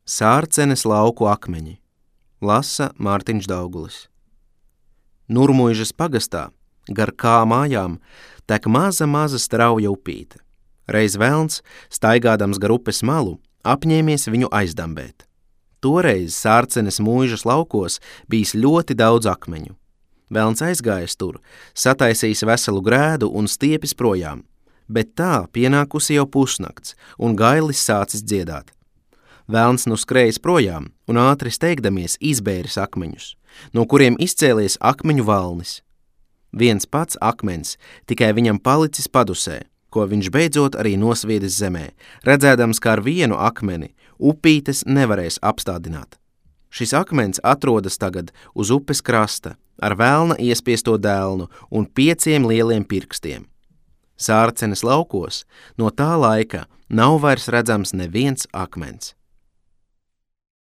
Sārcenes lauku akmeņi. Lasa Mārtiņš Daugulis. Nurmuižas pagastā, gar kā mājām, tek maza strauja upīte. Reiz velns, staigādams gar upes malu, apņēmies viņu aizdambēt. Toreiz Sārcenes mūižas laukos bijis ļoti daudz akmeņu. Velns aizgājis tur, sataisījis veselu grēdu un stiepis projām, bet tā pienākusi jau pusnakts un gailis sācis dziedāt. Velns nu skrējis projām un ātri steigdamies izbēris akmeņus, no kuriem izcēlies akmeņu valnis. Viens pats akmens tikai viņam palicis padusē, ko viņš beidzot arī nosviedis zemē, redzēdams, kā ar vienu akmeni upītes nevarēs apstādināt. Šis akmens atrodas tagad uz upes krasta ar velna iespiesto dēlnu un 5 lieliem pirkstiem. Sārcenes laukos no tā laika nav vairs redzams neviens akmens.